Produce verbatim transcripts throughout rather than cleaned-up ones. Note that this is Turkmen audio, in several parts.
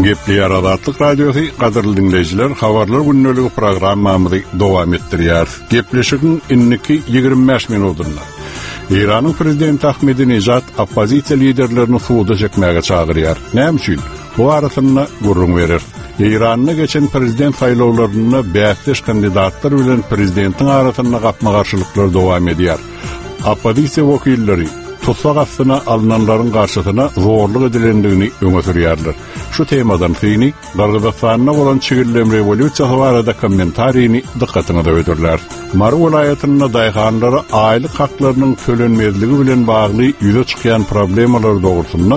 Gepleýär Azatlyk Radiosy, gadyrly diňleýjiler, habarlar gündeligi programmamyzy dowam etdirýär. Gepleşigiň indiki ýigrimi bäş minutynda Eýranyň prezidenti Ahmedinejad oppozisiýa liderlerini suda çekmäge çagyrýar. Näme üçin? Bu arasynda gürrüň berer. Eýranda geçen prezident saýlawlarynda bäsdeş kandidatlar bilen prezidentiň arasynda gapma-garşylyklar dowam edýär. Oppozisiýa wekilleri tussag astyna alynanlaryň garşysyna zorluk edilendigini öňe sürýärler. Şu temadan syny Gyrgyzystanda bolan çigillem rewolýusiýasy barada kommentarini dykgatyňyza hödürler. Mary welaýatynda daýhanlara aýlyk haklarynyň tölenmezligi bilen bagly ýüze çykýan problemalar dogrusynda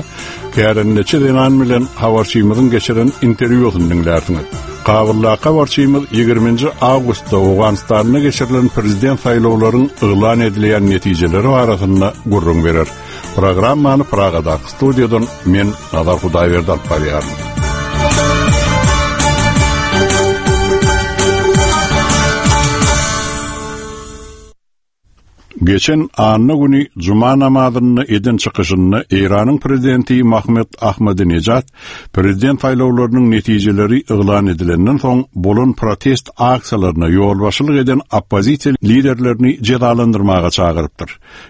kärendeçi zenan bilen habarçymyzyň geçiren interwýusyny diňlärsiňiz. Kabuldaky habarçymyz ýigriminji awgustda Owganystanda geçirilen prezident saýlawlaryň yglan edilen netijeleri barasynda gürrüň berer. Programmany Pragadaky studiýadan men Nazar Hudaýberdi alyp barýaryn. Geçen anna güni Cuma namazynda eden çykyşynda Eýranyň prezidenti Mahmud Ahmadinejad prezident saýlawlarynyň netijeleri yglan edilenden soň bolan protest aksiýalaryna ýolbaşçylyk eden oppozisiýa liderlerini jezalandyrmaga çagyrypdyr.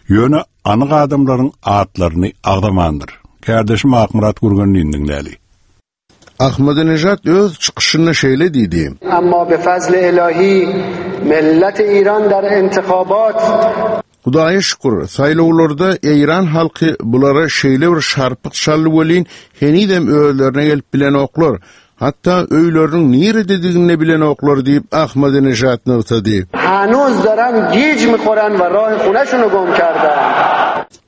Ýöne anyk adamlaryň atlaryny agzamandyr. Kardeşim Akmyrat Gürgenli'nin dinläli. Ahmadinejad öz çykyşynda şeýle diýdi. Amma be fazl ilahi millet İran der intikhabat Hudaýa şükür, saýlawlarda Eýran halky bulara şeýle bir şarpyk çaldy welin, henizem özlerine gelip bilenoklar. Hatda öýleriniň nirededigini bilenoklar diýip Ahmadinejad nygtady. Hanuz daran gij mikhoran we rah khoneshunu gum kardan.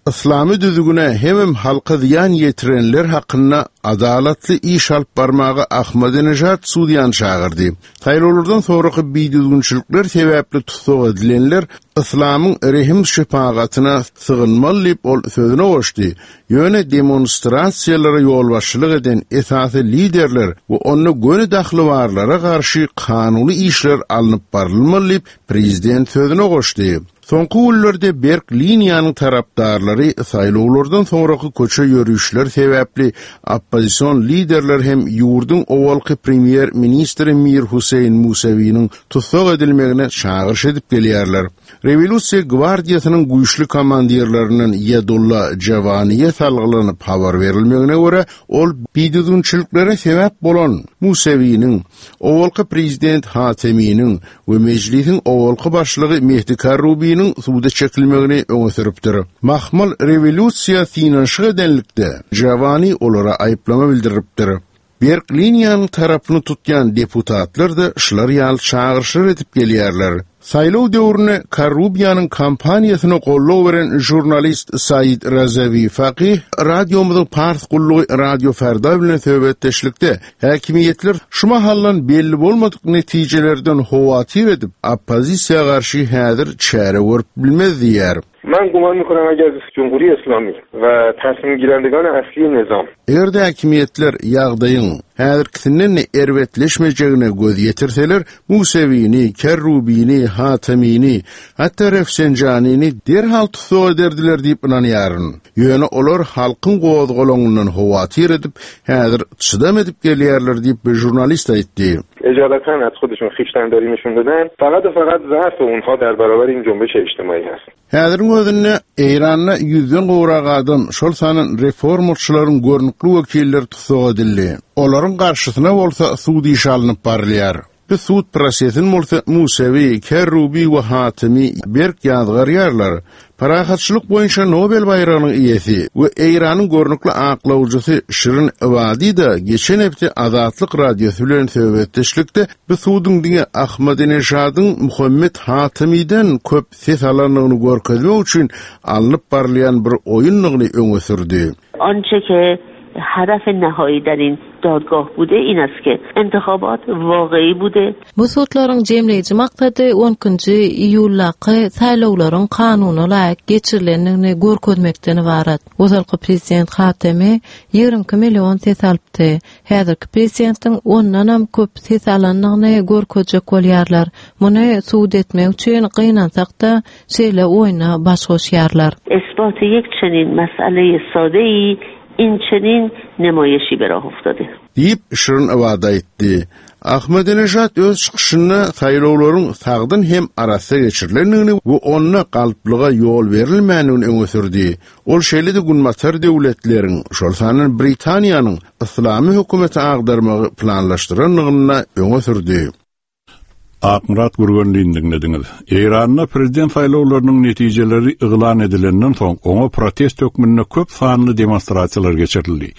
Islami düzgüne hemem halka ziýan ýetirenler hakynda adalatly iş alyp barmaga Ahmadinejad sudýan çagyrdy. Saýlawlardan soňraky bidüzgünçilikler sebäpli tussag edilenler Islamyň rehim şefagatyna sygynmaly diýip ol sözüne goşdy. Ýöne demonstrasiýalara ýolbaşçylyk eden esasy liderler we onda göni dahly barlara garşy kanuny işler alnyp barylmaly diýip prezident sözüne goşdy. Soňky günlerde berk liniýanyň tarapdarlary saýlawlardan soňraky köçe ýörüşler sebäpli oppozision liderler hem ýurduň owalky premýer ministri Mir Hüseýin Musawiniň tussag edilmegine çagyryş edip gelýärler. Rewolýusiýa gwardiýasynyň güýçli komandirlerinden Ýedulla Jawaniýe salgylanyp habar berilmegine görä, ol bidüzgünçiliklere sebäp bolan Musawiniň, owalky prezident Hateminiň we mejlisiň owalky başlygy Mehdi Karrubiniň suda çekilmegini öňe sürüpdir. Mahmal rewolýusiýa synanyşyk edenlikde Jawani olara aýyplama bildiripdir. Berk liniýanyň tarapyny tutýan deputatlar da şular ýaly çagyryşlar edip gelýärler. Saýlaw döwründe Karrubiýanyň kampaniýasyna goldaw beren žurnalist Said Razawi Faqih radiomyzyň Pars gullugy Radio Ferda bilen söhbetdeşlikde häkimiýetler şu mahaldan belli bolmadyk netijelerden howatyr edip oppozisiýa garşy häzir çäre görüp bilmez diýär. Men guman mikonam agar Cumhuri Islami we tasmim girendegani asli nizam. Eger-de häkimiýetler ýagdaýyň häzirkisinden erbetleşmejegine göz ýetirseler, Musewini, Kerrubini, Hatemini, hatda Refsenjanini derhal tussag ederdiler diýip ynanýaryn. Ýöne olar halkyň gozgalaňyndan howatyr edip, häzir çydam edip gelýärler diýip bir žurnalist aýtdy. Ejalatan az خودشون خویشتنداری نشون دادن، فقط و فقط ضعف اونها در برابر این جنبش اجتماعی هست. Häziriň özünde Eýranda ýüzden gowrak adam, şol sanan reformaçylaryň görnükli wekilleri tussag edildi. Olaryň garşysyna bolsa sud işi alnyp barylýar. Bu sud prosesin bolsa Musewi, Kerrubi we Hatemi berk ýazgarýarlar. Parahatçylyk boýunça Nobel baýragynyň eýesi we Eýranyň görnükli aklawjysy Şirin Ebadi da geçen hepde Azatlyk Radiosy bilen söhbetdeşlikde bu suduň diňe Ahmadinejadyň Muhammed Hatemiden köp ses alandygyny görkezmek üçin alnyp barylýan bir oýundygyny öňe sürdi. Ançe ke hadaf nihai در این دادگاه بوده این است که انتخابات واقعی بوده. Bu sudlaryň jemleýji maksady on ikinji iýuldaky saýlawlaryň kanuna laýyk geçirilendigini görkezmekden ibarat. Ozalky prezident Hatemi ýigrimi iki million ses alypdy. Häzirki prezidentiň ondanam köp ses alandygyny görkezjek bolýarlar. Muny sud etmek üçin gynansak-da şeýle oýna baş goşýarlar. Isbat yek çenin mesele sade-i این چنین نمایشی به راه افتاده. Diýip, Şirin Ebadi aýtdy. Ahmedinejad öz çykyşynda saýlawlaryň sagdyn hem arassa geçirilendigini we onda galplyga ýol berilmändigini öňe sürdi. Ol şeýle-de Günbatar döwletleriň, şol sanda Britaniýanyň yslamy hökümeti agdarmagy planlaşdyrandygyny öňe sürdi. Akmyrat Gürgenlini diňlediňiz. Eýranda prezident saýlawlarynyň netijeleri yglan edilenden soň, oňa protest hökmünde köp sanly demonstrasiýalar geçirildi.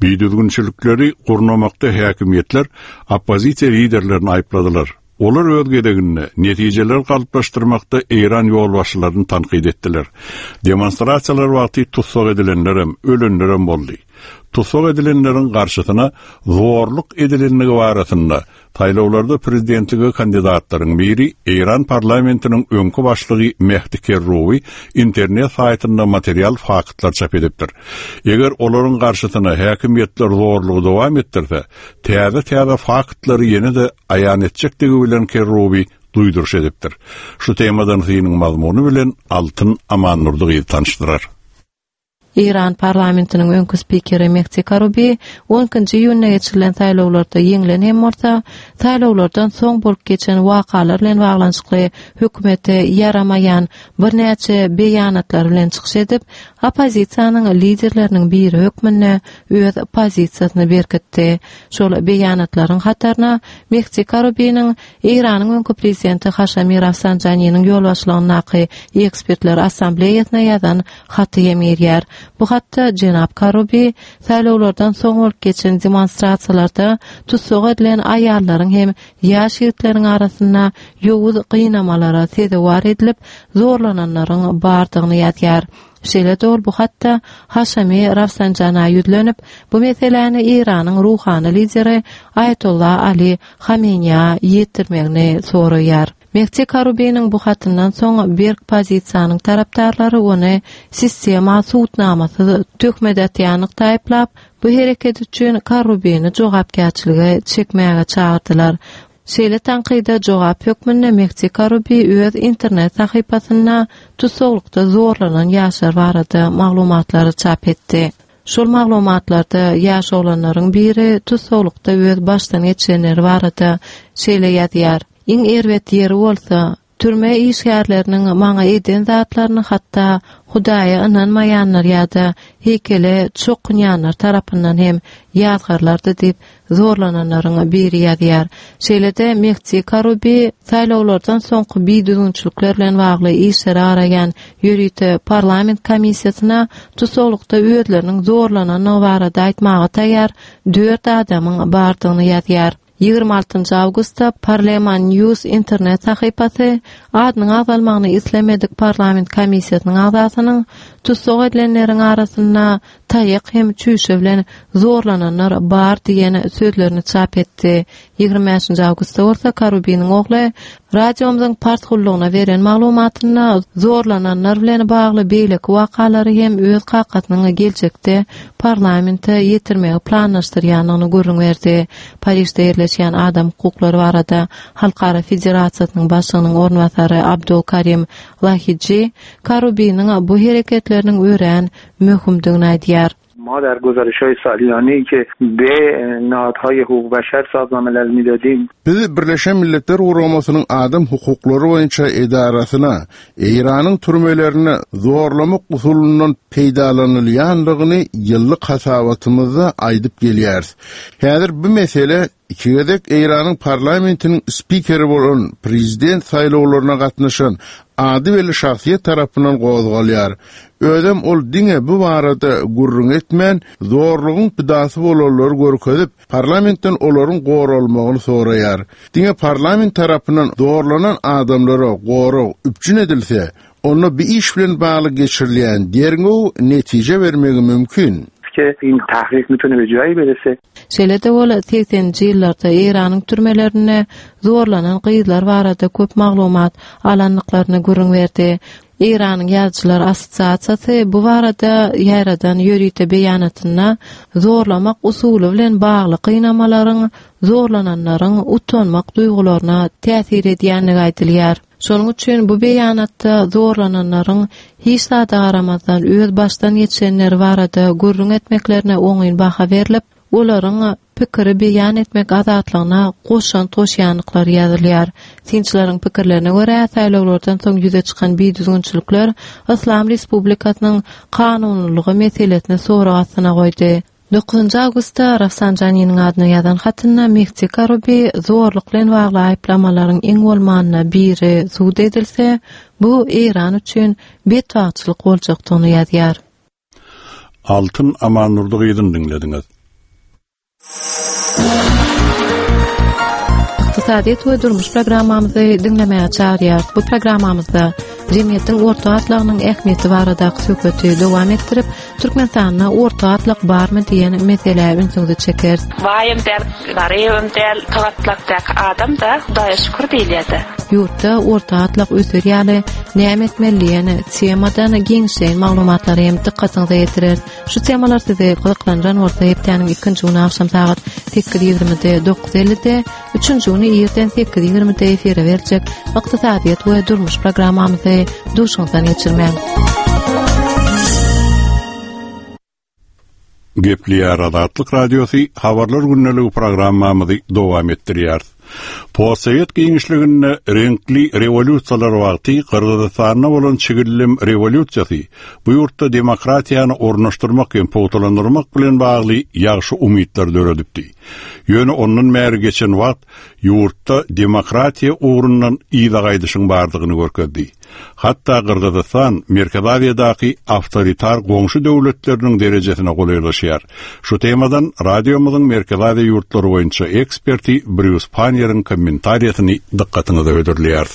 Bidüzgünçilikleri gurnamakda häkimiýetler oppozisiýa liderlerini aýypladylar. Olar öz gezeginde netijeleri galplaşdyrmakda Eýran ýolbaşçylaryny tankyt etdiler. Demonstrasiýalar wagty tussag edilenlerem, ölenlerem boldy. Tussag edilenleriň garşysyna zorluk edilendigi barasynda saýlawlarda prezidentlige kandidatlaryň biri Eýran parlamentiniň öňki başlygy Mehdi Kerrubi internet saýtynda material faktlar çap edipdir. Eger olaryň garşysyna häkimiýetler zorlugy dowam etdirse, täze-täze faktlary ýene-de aýan etjekdigi bilen Kerrubi duýduryş edipdir. Şu temadan synyň mazmuny bilen Altyn Amannurdy gyz tanyşdyrar. Eýran parlamentiniň öňki spikeri Mehdi Karubi on ikinji iýunda geçirilen saýlawlarda ýeňlen hem bolsa, saýlawlardan soň bolup geçen wakalar bilen baglanyşykly hökümete ýaramaýan birnäçe beýanatlar bilen çykyş edip, oppozisiýanyň liderleriniň biri hökmünde öz pozisiýasyny berkitdi. Şol beýanatlaryň hataryna Mehdi Karubiniň Eýranyň öňki prezidenti Haşami Rafsanjaniniň ýolbaşçylygyndaky ekspertler assambleýasyna ýazan haty hem girýär. Bu hatda jenap Karubi saýlawlardan soň bolup geçen demonstrasiýalarda tussag edilen aýallaryň hem ýaş ýigitleriň arasynda ýowuz gynamalara sezewar edilip zorlananlaryň bardygyny ýazýar. Şeýle-de ol bu hatda Haşami Rafsanjana ýüzlenip, bu meseläni Eýranyň ruhany lideri Aýatollah Ali Hameneýa ýetirmegini soraýar. Mehdi Karubiniň bu hatyndan soň berk pozisiýanyň tarapdarlary ony sistema sudnamasyz töhmet atýanlykda aýyplap, bu hereket üçin Karubini jogapkärçilige çekmäge çagyrdylar. Şeýle tankyda jogap hökmünde Mehdi Karubi öz internet sahypasynda tussaglykda zorlanan ýaşlar barada maglumatlary çap etdi. Şol maglumatlarda ýaş oglanlaryň biri tussaglykda öz başdan geçirenleri barada şeýle ýazýar: Iň erbet ýeri bolsa, türme işgärleriniň maňa eden zatlaryny hatda Hudaýa ynanmaýanlar ýa-da heýkele çokunýanlar tarapyndan hem ýazgarlardy diýip zorlananlaryň biri ýazýar. Şeýle-de Mehdi Karubi saýlawlardan soňky bidüzgünçilikler bilen bagly işleri araýan ýörite parlament komissiýasyna tussaglykda özleriniň zorlanandygy barada aýtmaga taýýar dört adamyň bardygyny ýazýar. Ýigrimi altynjy awgustda Parleman News internet sahypasy adynyň agzalmagyny islemedik parlament komissiýasynyň agzasynyň tussag edilenleriň arasynda taýak hem çüýşe bilen zorlananlar bar diýen sözlerini çap etdi. Ýigrimi bäşinji awgustda bolsa Karubiniň ogly radiomyzyň pars gullugyna beren maglumatynda zorlananlar bilen bagly beýleki wakalary hem öz kakasynyň geljekde parlamente ýetirmegi planlaşdyrýandygyny gürrüň berdi. Parižde ýerleşýän adam hukuklary barada Halkara Federasiýasynyň başlygynyň orunbasary Abdul Karim Lahiji Karubiniň bu hereketleriniň örän möhümdigini aýdýar. ما در گزارش‌های سالیانه‌ای که به نهادهای حقوق بشر سازمان ملل می‌دادیم Biz Birleşen Milletler Guramasynyň adam hukuklary boýunça edarasyna Eýranyň türmelerine zorlamak usulundan peýdalanylýandygyny ýyllyk hasabatymyzda aýdyp gelýäris. Häzir bu mesele iki gezek Eýranyň parlamentiniň spikeri bolan prezident saýlawlaryna gatnaşan ady belli şahsyýet tarapyndan gozgalýar. Özem ol diňe bu barada gürrüň etmän, zorlugyň pidasy bolanlary görkezip, parlamentden olaryň goralmagyny soraýar. Diňe parlament tarapyndan zorlanan adamlara gorag üpjün edilse, onda bir iş bilen bagly geçirilýän derňew netije bermegi mümkin. که این تحقیق میتونه به جایی برسه. Şeýle-de ol sekseninji ýyllarda Eýranyň türmelerinde zorlanan gyzlar barada köp maglumat alandyklaryny gürrüň berdi. Eýranyň Ýazyjylar Assosiasiýasy bu barada ýaýradan ýörite beýanatynda zorlamak usuly bilen bagly gynamalaryň zorlananlaryň utanmak duýgularyna täsir edýändigi aýdylýar. Şonuň üçin bu beýanatda zorlananlaryň hiç zada garamazdan öz başdan geçenleri barada gürrüň etmeklerine oňyn baha berlip, olaryň pikiri beýan etmek azatlygyna goşant goşýandyklary ýazylýar. Synçylaryň pikirlerine görä, saýlawlardan soň ýüze çykan bidüzgünçilikler Yslam Respublikasynyň kanunylygy meselesini sorag astyna goýdy. Dokuzynjy awgustda Rafsanjaniniň adyna ýazan hatynda Mehdi Karubi zorluk bilen bagly aýyplamalaryň iň bolmanda biri sud edilse, bu Eýran üçin betbagtçylyk boljakdygyny ýazýar. Altyn Amannurdy gyzyny diňlediňiz. Ykdysadyýet we durmuş programmamyzy diňlemäge çagyrýarys. Bu programmamyzda jemgyýetiň orta gatlagynyň ähmiýeti baradaky söhbeti dowam etdirip, Türkmenistanda orta gatlak barmy diýen meselä ünsüňizi çekeris. Baýam däl, garybam däl, gatlakdaky adam da Hudaýa şükür diýilýär-de. Ýurtda orta gatlak öser ýaly näme etmeli diýen temadan giňişleýin maglumatlary hem dykgatyňyza ýetireris. Şu temalar sizi gyzyklandyran bolsa hepdäniň ikinji güni agşam sagat sekiz ýigrimide, dokuz ellide, üçünji güni irden sekiz ýigrimide efire berjek ykdysadyýet we durmuş programmamyzy duşuňyzdan geçirmäň. Gepleýär Azatlyk Radiosy habarlar gündeligi programmamyzy dowam etdirýär. Postsowet giňişliginde reňkli rewolýusiýalar wagty Gyrgyzystanda bolan çigillim rewolýusiýasy bu ýurtda demokratiýany ornaşdyrmak hem pugtalandyrmak bilen bagly ýagşy umytlar döredipdi. Ýöne ondan bäri geçen wagt ýurtda demokratiýa ugrundan yza gaýdyşyň bardygyny görkezdi. Hatda Gyrgyzystan Merkezi Aziýadaky awtoritar goňşy döwletleriniň derejesine golaýlaşýar. Şu temadan radiomyzyň Merkezi Aziýa ýurtlary boýunça eksperti Brýus Panniýeriň kommentariýasyny dykgatyňyza hödürleýäris.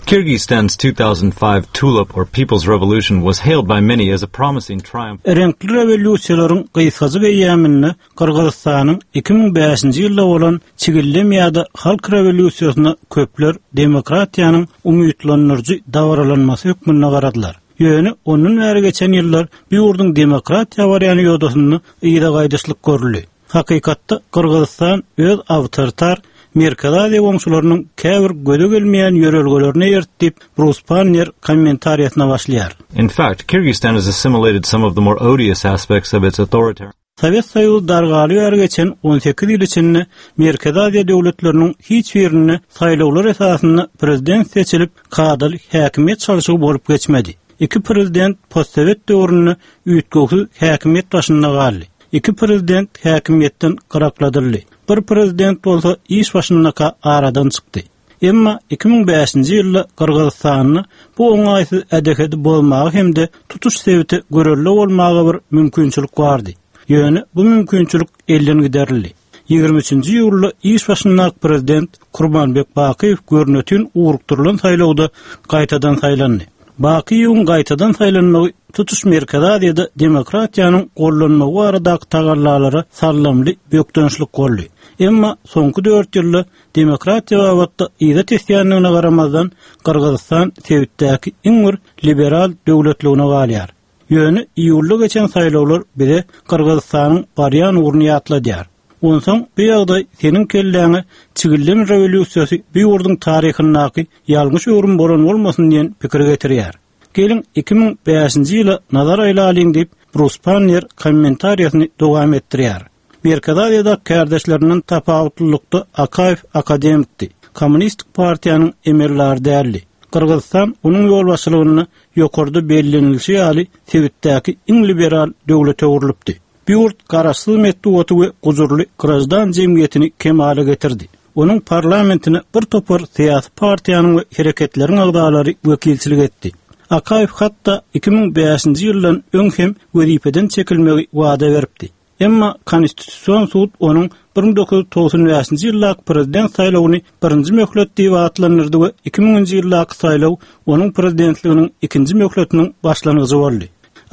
Kyrgyzstan's two thousand five Tulip or People's Revolution was hailed by many as a promising triumph. Reňkli rewolýusiýalaryň gysgajyk eýýamynda Gyrgyzystanyň iki müň bäşinji ýylda bolan çigillem ýa-da halk rewolýusiýasyna köpler demokratiýanyň umytlandyryjy dabaralanmasy hökmünde garadylar. Ýöne ondan bäri geçen ýyllar bu ýurduň demokratiýa barýan ýodasynda yza gaýdyşlyk görüldi. Hakykatda Gyrgyzystan öz awtoritar Merkezi Aziýa goňşularynyň käbir göze gelmeýän ýörelgelerini eýertip, Brus Panniýer kommentariýasyna başlaýar. In fact, Kyrgyzstan has assimilated some of the more odious aspects of its authoritarian Sowet Soýuzy dargaly bäri geçen on sekiz ýyl içinde Merkezi Aziýa döwletleriniň hiç birinde saýlawlar esasynda prezident seçilip, kadaly häkimiýet çalşygy bolup geçmedi. Iki prezident postsowet döwründe üýtgewsiz häkimiýet başynda galdy. Iki prezident häkimiýetden gyrakladyldy. Bir prezident bolsa iş başyndaka aradan çykdy. Emma iki müň bäşinji ýylda Gyrgyzystanda bu oňaýsyz ädehedi bozmagy hem-de tutuş sebite görelde bolmaga bir mümkinçilik bardy. Ýöne bu mümkinçilik elden giderildi. Ýigrimi üçünji ýylda iş başyndaky prezident Kurbanbek Bakyýew görnütün ugrukdyrylan saýlawda gaýtadan saýlandy. Bakyýewiň gaýtadan saýlanmagy tutuş Merkezi Aziýada demokratiýanyň gollanmagy baradaky tagallalara sallamly bökdençlik boldy. Emma soňky dört ýylda demokratiýa babatda yza tesýändigine garamazdan Gyrgyzystan sebitdäki iň bir liberal döwletligine galýar. Ýöne iýulda geçen saýlawlar bize Gyrgyzystanyň barýan ugruny ýatladýar. Onsoň bu ýagdaý seniň kelläňe çigillem rewolýusiýasy bu ýurduň taryhyndaky ýalňyş öwrüm bolan bolmasyn diýen pikir getirýär. Geliň iki müň bäşinji ýyla nazar aýlalyň diýip Brus Panniýer kommentariýasyny dowam etdirýär. Merkezi Aziýada kärdeşlerinden tapawutlylykda Akaýew akademikdi. Kommunistik partiýanyň emelleri däldi. Gyrgyzystan onuň ýolbaşçylygynda ýokarda bellenilişi ýaly sebitdäki iň liberal döwlete öwrülipdi. Bu ýurt garaşsyz metbugaty we gujurly grajdan jemgyýetini kemala getirdi. Onuň parlamentine bir topar syýasy partiýanyň we hereketleriň agzalary wekilçilik etdi. Akaýew hatda iki müň bäşinji ýyldan öň hem wezipeden çekilmegi wada beripdi. Emma Konstitusion sud onuň bir müň dokuz ýüz togsan bäşinji ýyldaky prezident saýlawyny birinji möhlet diýip atlandyrdy we iki müňünji ýyldaky saýlaw onuň prezidentliginiň ikinji möhletiniň başlangyjy boldy.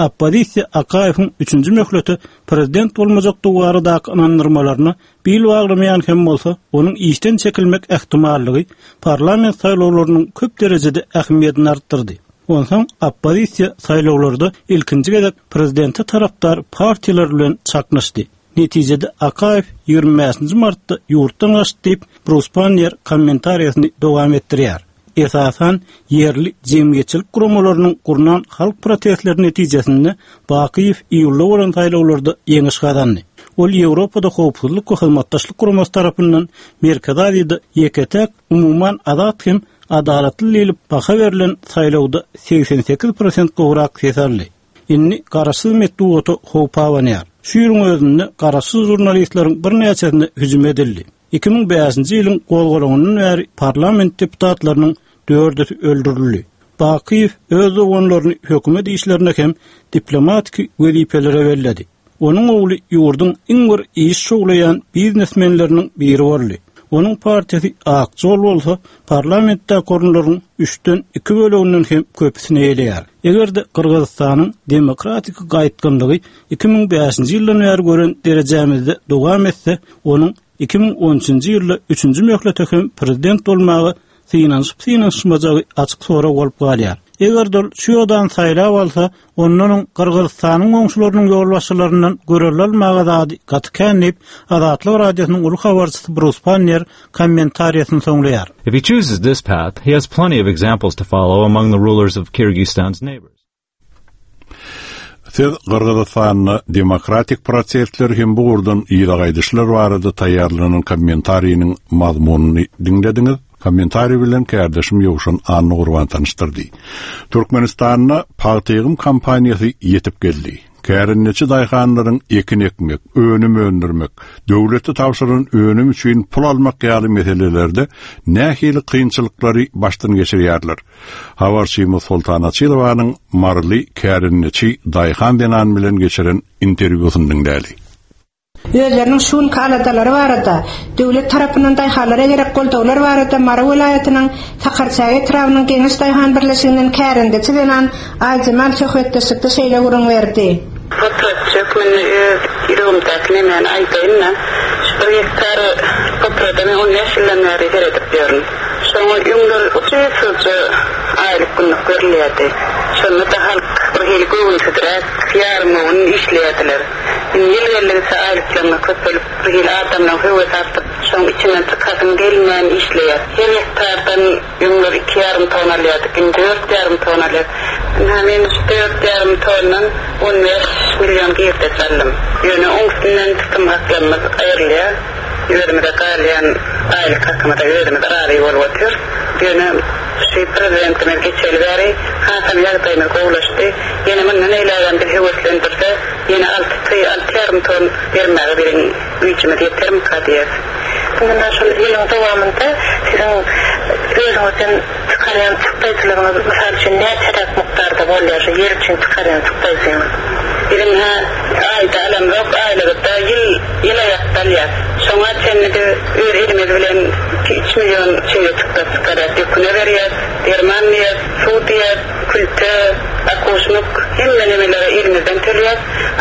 Oppozisiýa Akaýewiň üçünji möhleti prezident bolmajakdygy baradaky ynandyrmalaryna bil baglamaýan hem bolsa, onuň işden çekilmek ähtimallygy parlament saýlawlarynyň köp derejede ähmiýetini artdyrdy. Onsoň oppozisiýa saýlawlarda ilkinji gezek prezidente tarapdar partiýalar bilen çaknyşdy. Netijede Akaýew ýigrimi bäşinji martda ýurtdan gaçdy diýip Brus Panniýer kommentariýasyny dowam etdirýär. Esasan ýerli jemgyýetçilik guramalarynyň gurnan halk protestleri netijesinde Bakyýew iýulda bolan saýlawlarda ýeňiş gazandy. Ol Ýewropada howpsuzlyk we hyzmatdaşlyk guramasy tarapyndan Merkezi Aziýada ýeke-täk umuman azat hem adalatly diýlip baha berlen saýlawda segsen sekiz prosent gowrak ses aldy. Indi garaşsyz metbugata howp abanýar. Şu ýylyň özünde garaşsyz jurnalistleriň birnäçesine hüjüm edildi. Iki müň bäşinji ýylyň gozgalaňyndan bäri parlament deputatlarynyň dördüsi öldürildi. Bakiýew öz doganlaryny hökümet işlerine hem diplomatiki wezipelere belledi. Onuň ogly ýurduň iň bir iş şowlaýan biznesmenleriniň biri boldy. Onuň partiýasy Ak Jol bolsa parlamentde orunlaryň üçden iki böleginden hem köpüsini eýeleýär. Eger-de Gyrgyzystanyň demokratik gaýtgynlygy iki müň bäşinji ýyldan bäri gören derejämizde dowam etse, onuň iki müň on üçünji ýylda üçünji möhlete hem prezident bolmagy synanyşyp-synanyşmajagy açyk sorag bolup galýar. Eger dol şu ýodan saýlap alsa, ondan oň Gyrgyzystanyň goňşularynyň ýolbaşçylaryndan görelde almaga zady gaty kän diýip, Azatlyk Radiosynyň uly habarçysy Bruce Pannier kommentariýasyny soňlaýar. If he chooses this path, he has plenty of examples to follow among the rulers of Kyrgyzstan's neighbors. Siz Gyrgyzystanda demokratik prosesler hem bu ugurdan ýyla gaýdyşlar barada taýýarlanan kommentariýanyň mazmunyny diňlediňiz. Kommentariý bilen kärdeşim Ýowşan Anna Gurban tanyşdyrdy. Türkmenistanda pagta ýygym kampaniýasy ýetip geldi. Kärendeçi daýhanlaryň ekin ekmek, önüm öndürmek, döwlete tabşyran önüm üçin pul almak ýaly meselelerde nähili kynçylyklary başdan geçirýärler. Habarçymyz Soltan Açylowanyň Maryly kärendeçi daýhan zenan bilen geçiren interwýusyny diňläli. Özleriniň şun aladalary barada, döwlet tarapyndan daýhanlara gerek goldawlar barada Mary welaýatynyň Sakarçäge etrabynyň Geňeş daýhan birleşiginden kärendeçi zenan Aýjemal söhbetdeşlikde şeýle gürrüň berdi. Potratçy hökmünde öz ýüregimdäki nemäni aýdaýyn-da, şu bir gektar potrada men on bäş ýyldan bäri seredip ýörün. Şoňa öňler uçuýsuzca aýlyk günlük berilýärdi. Şonda da halk bir hili göwünsizräk, ýarym göwün işleýärdiler. Ýyl geldigçe aýlyklaryna köpelip, bir hili adamlaryň höwes artyp, şoň içinden çykasyn gelmän işleýär. Her hektardan öňler iki ýarym ton alýardyk, indi dört ýarym ton alýar. Ynha men şu dört ýarym tondan on bäş milyon girdeç aldym. Ýöne oň üstünden tutum haklarymyz aýrylýar. Özümize galýan aýlyk hakymyza özümiz razy bolup otyr. Ýöne şu prezidentimiz geçeli bäri hasam ýagdaýymyz gowulaşdy. Ýene mundan eýlägem biz höweslendirse, ýene alty, alty ýarym ton bermäge biziň güýjümiz ýetermika diýer. Mundan şol ýylyň dowamynda siziň özüňizden çykarýan çykdaýjylaryňyz, mysal üçin, näçeräk mukdarda bolýar şu ýer üçin çykarýan çykdaýjyňyz? Biziň ha aýda alamzok, aýlykda ýyl, ýyl aýakda alýar. Şoňa çenli biz öz elimiz bilen iki üç milyon şeýle çykdaý çykarýar, döküne berýär, derman diýer, suw diýer, külte, akuşmuk, hemme nemelere elimizden tölýär.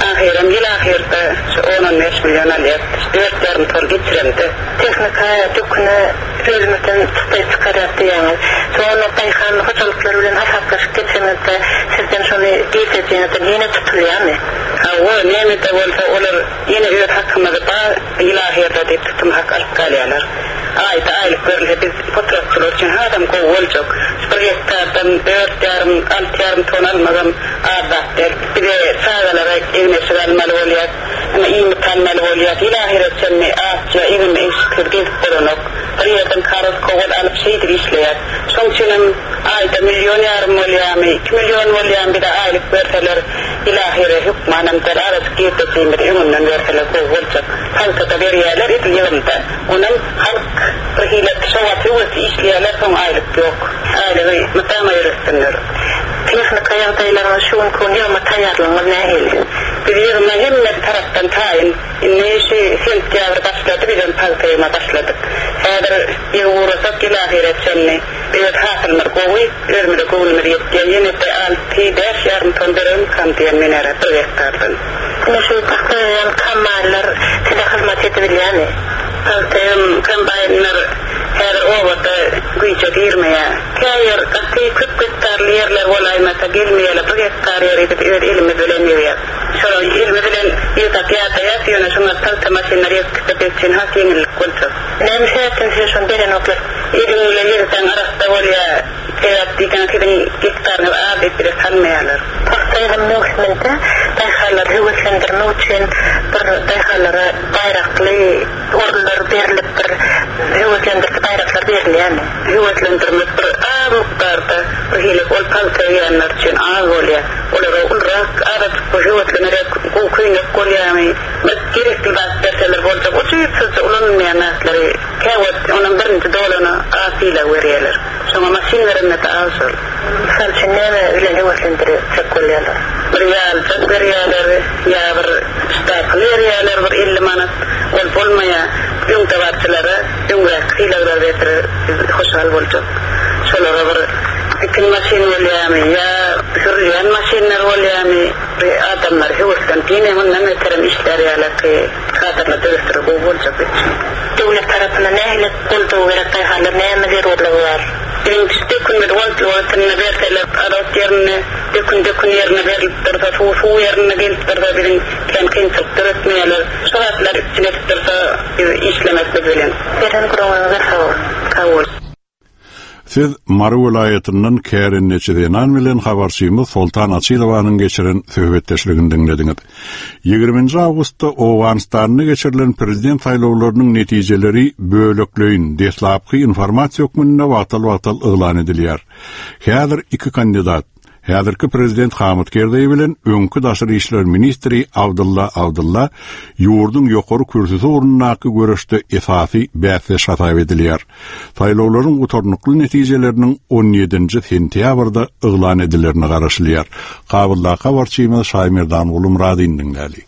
Ahyram ýyl ahyrda şu on on bäş milyon alýar. Dört ýarym ton geçiremde. Tehnika döküne özümizden çykdaý çykarýar diýýäňiz. Şoňa daýhan hojalyklary bilen hasaplaşyp geçenizde sizden şony girdejiňizden ýene tutulýarmy? Hawa, näme-de bolsa olar ýene öz hakymyzy bar ýyl ahyrda diýip tutum hak alyp galýarlar. Aýda aýlyk berilse biz potratçylar üçin hasam gowy boljak. Bir hektardan dört ýarym, alty ýarym ton almagam az zat däl. Bize çagalara egin-eşik almaly bolýar, ýa iýmit almaly bolýar. Ýyl ahyra çenli açja egin-eşiksiz gezip bolanok. Bir ýerden karoz kowal alyp şeýdip işleýär. Şoň üçin hem aýda milyon ýarym bolýarmy, iki milyon bolýarmy bize aýlyk berseler, ýyl ahyra hökmanam däl, azajyk girdejiğimizi öňünden berseler gowy boljak. Pagtada berýärler edil ýygymda. Onam halk bir hile şowaty höwesli işleýärler, soň aýlyk ýok. Aýlygy mydama ýöretsinler. Tehnika ýagdaýlaryňyz şu günki gün ýygyma taýýarlygyňyz nähili? Biz ýygyma hemme tarapdan taýyn. Indi şu sentýabr başlady, biz hem pagta ýygyma başladyk. Häzir ýygy uğrasak ýyl ahyra çenli öz hasylymyz gowy, özümize göwnümiz ýetýär. Ýene de alty, bäş ýarym ton beremkam diýen men ara bir hektardan. Ine şu pagta ýygýan kombaýnlar size hyzmat edibilýärmi? Pagta ýygym kombaýnlar häzir obada güýje girmeýär. Käýer gaty köp hektarly ýerler bolaýmasa gelmeýärler. Bir hektar ýeri biz öz elimiz bilen ýygýar. Şolar elimiz bilen ýygsak ýadaýas, ýöne şoňa pagta maşynlar ýygyp gitse biz üçin has ýeňillik boljak. Näme sebäpden size şony berenoklar? Eliň bilen ýygsaň arassa bolýar, Sebäp diýseň siziň gektaryňyz az diýip bize salmaýarlar. Pagta ýygym möwsüminde daýhanlary höweslendirmek üçin bir daýhanlara baýrakly orunlar berlip bir höweslendiriji baýraklar berilýärmi? Höweslendirmek bir az mukdarda bir hili ol pagta egýänler üçin az bolýar. Olara ulurak azajyk bir höweslenerek gowy köýnek bolýarmy? Bir gerekli zat berseler boljak. Ujypsyzja ulanylmaýan zatlary käwagt onam birinji dolana az sylag berýärler. Şoňa maşyn berende-de az şol. Mysal üçin näme bilen höweslendirjek bolýarlar? Bir ýaljak berýärler ýa bir ştapyl berýärler bir elli manat. Ol bolmaýar. Öňdebaryjylara öňräk sylaglar berseler biz hoşal boljak. Şolara bir tikin maşyn bolýarmy ýa sürülýän maşynlar bolýarmy bir adamlar höweslenip ýene mundan beterem işlär ýalyky kadrlar döretseler gowy boljak biz üçin. Döwlet tarapyndan nähili goldaw gerek daýhanlar näme zerurlygy bar? Biziň şu dökünimizi wagtly wagtynda berseler azot ýerine dökün dökün ýerine berlip dursa suw suw ýerine gelip dursa biziň kän kynçylyk döretmeýärler. Şu zatlary üpjün edip dursa biz işlemek biz bilen. Beren gürrüňiňize sag boluň. Sag boluň. Siz Mary welaýatyndan kärendeçi zenan bilen habarçymyz Soltan Açylowanyň geçiren söhbetdeşligini diňlediňiz. Ýigriminji awgustda Owganystanda geçirilen prezident saýlawlarynyň netijeleri bölekleýin deslapky informasiýa hökmünde wagtal-wagtal yglan edilýär. Häzir iki kandidat, häzirki prezident Hamid Kerzeý bilen öňki daşary işler ministri Abdulla Abdulla ýurduň ýokary kürsüsi ugrundaky göreşde esasy bäsdeş hasap edilýär. Saýlawlaryň gutarnykly netijeleriniň on ýedinji sentýabrda yglan edilerine garaşylýar. Kabuldaky habarçymyz Şaýmerdan Gulumradin diňläli.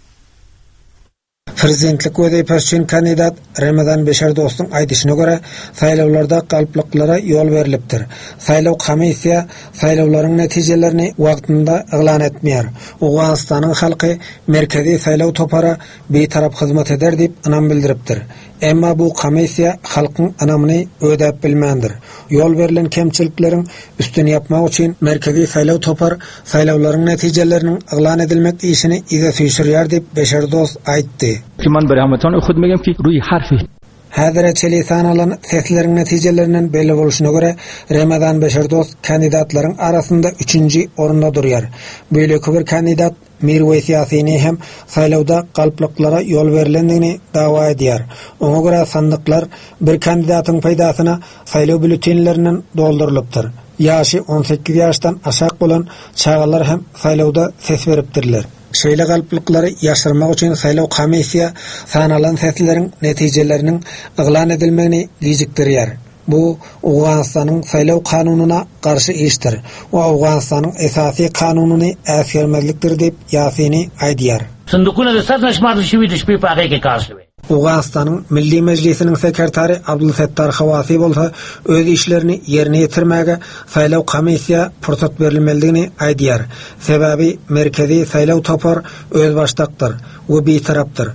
Prezidentlik wezipesi üçin kandidat Ramazan Beşer dostuň aýdyşyna görä, saýlawlarda galplyklara ýol berlipdir. Saýlaw komissiýa saýlawlaryň netijelerini wagtynda yglan etmeýär. Owganystanyň halky merkezi saýlaw topara bitarap hyzmat eder diýip ynam bildiripdir. Emma bu komissiýa halkyň ynamyny ödäp bilmändir. Ýol berlen kemçilikleriň üstüni ýapmak üçin merkezi saýlaw topar saýlawlaryň netijeleriniň yglan edilmek işini yza süýşürýär diýip Beşer dost aýtdy. Ki man برای هموطن خود میگم ki روی حرف Häzire çeli sanalan sesleriň netijelerinden belli bolşuna görä Ramazan Beşer dost kandidatlaryň arasynda üçünji orunda durýar. Beýleki bir kandidat Mirweýs Ýasini hem saýlawda galplyklara ýol berlendigini dawa edýär. Oňa görä sandyklar bir kandidatyň peýdasyna saýlaw bülletenlerinden doldurylypdyr. Ýaşy on sekiz ýaşdan aşak bolan çagalar hem saýlawda ses beripdirler. Şeýle galplyklary ýaşyrmak üçin saýlaw komissiýa sanalan sesleriň netijeleriniň yglan edilmegini gijikdirýär. Bu Owganystanyň saýlaw kanunyna garşy işdir we Owganystanyň esasy kanunyny äsgermezlikdir diýip Ýasini aýdýar. Sandukuna da sar nashmar şiwi dişpi paage ke kar şiwi. Owganystanyň Milli Mejlisiniň sekretary Abdul Settar Hawasi bolsa öz işlerini ýerine ýetirmäge saýlaw komissiýa pursat berilmelidigini aýdýar. Sebäbi merkezi saýlaw topar özbaşdakdyr we bitarapdyr.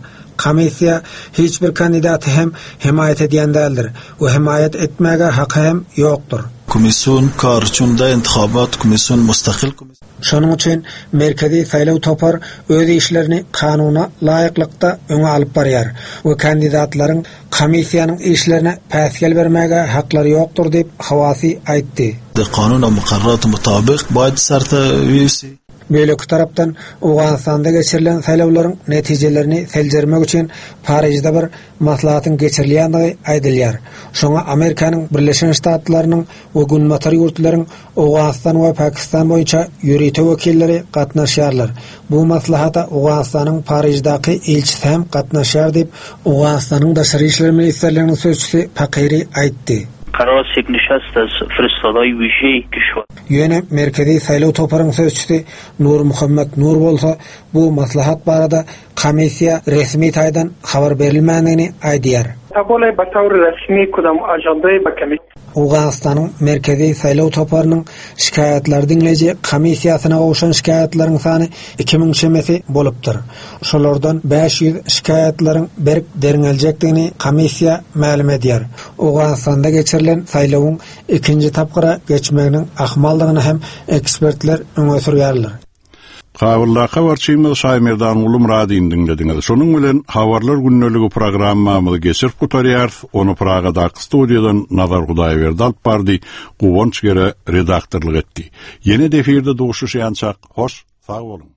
Komissiýa hiç bir kandidaty hem hemaýat edýän däldir we hemaýat etmäge haky hem ýokdur. Komisyon kar çunda intihabat komisyon mustakil komisyon. Şonuň üçin merkezi saýlaw topar öz işlerini kanuna laýyklykda öňe alyp barýar we kandidatlaryň komissiýanyň işlerine päsgel bermäge haklary ýokdur diýip Hawasi aýtdy. De kanuna mukarrat mutabiq baýd sarta üyesi. Beýleki tarapdan Owganystanda geçirilen saýlawlaryň netijelerini seljermek üçin Parižde bir maslahatyň geçirilýändigi aýdylýar. Şoňa Amerikanyň Birleşen Ştatlarynyň we Günbatar ýurtlaryň Owganystan we Pakistan boýunça ýörite wekilleri gatnaşýarlar. Bu maslahata Owganystanyň Pariždäki ilçisi hem gatnaşýar diýip Owganystanyň Daşary işler ministrliginiň sözçüsi Pakiri aýtdy. قرار است یک نشست از فرستادهای ویژه کشور. Ýöne merkezi saýlaw toparyň sözçüsi Nur Muhammed Nur bolsa bu maslahat barada komissiýa resmi taýdan habar berilmändigini aýdýar. Tabole بطور رسمی کدام ajandayı bakamy. Owganystanyň merkezi saýlaw toparynyň şikaýatlar diňleýji komissiýasyna gowşan şikaýatlaryň sany iki müň çemesi bolupdyr. Şolardan bäş ýüz şikaýatlaryň berk derňeljekdigini komissiýa mälim edýär. Owganystanda geçirilen saýlawyň ikinji tapgyra geçmeginiň ahmaldygyny hem ekspertler öňe sürýärler. Kabuldaky habarçymyz Şaýmerdanguly Myradyny diňlediňiz. Şonuň bilen Habarlar gündeligi programmamyzy geçirip gutarýarys. Ony Pragadaky studiýadan Nazar Hudaýberdi alyp bardy, Guwanç Gere redaktorlyk etdi. Ýene-de efirde duşuşýançak, hoş, sag boluň.